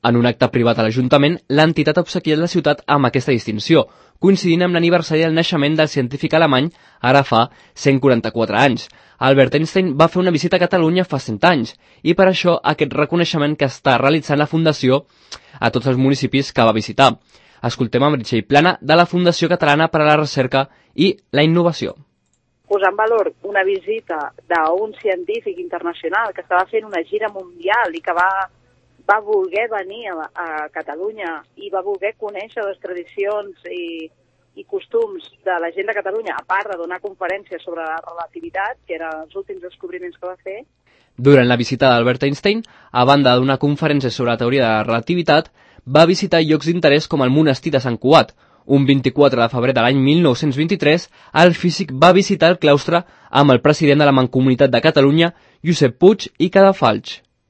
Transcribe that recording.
En un acte privat a l'Ajuntament, l'entitat ha obsequiat la ciutat amb aquesta distinció, coincidint amb l'aniversari del naixement del científic alemany ara fa 144 anys. Albert Einstein va fer una visita a Catalunya fa 100 anys, i per això aquest reconeixement que està realitzant la Fundació a tots els municipis que va visitar. Escoltem a Meritxell Plana, de la Fundació Catalana per a la Recerca i la Innovació. Posar en valor una visita d'un científic internacional que estava fent una gira mundial i que va voler venir a Catalunya i va voler conèixer les tradicions i costums de la gent de Catalunya, a part de donar conferències sobre la relativitat, que eren els últims descobriments que va fer. Durant la visita d'Albert Einstein, a banda de donar conferències sobre la teoria de la relativitat, va visitar llocs d'interès com el monestir de Sant Cugat. Un 24 de febrer de l'any 1923, el físic va visitar el claustre amb el president de la Mancomunitat de Catalunya, Josep Puig i Cadafalch.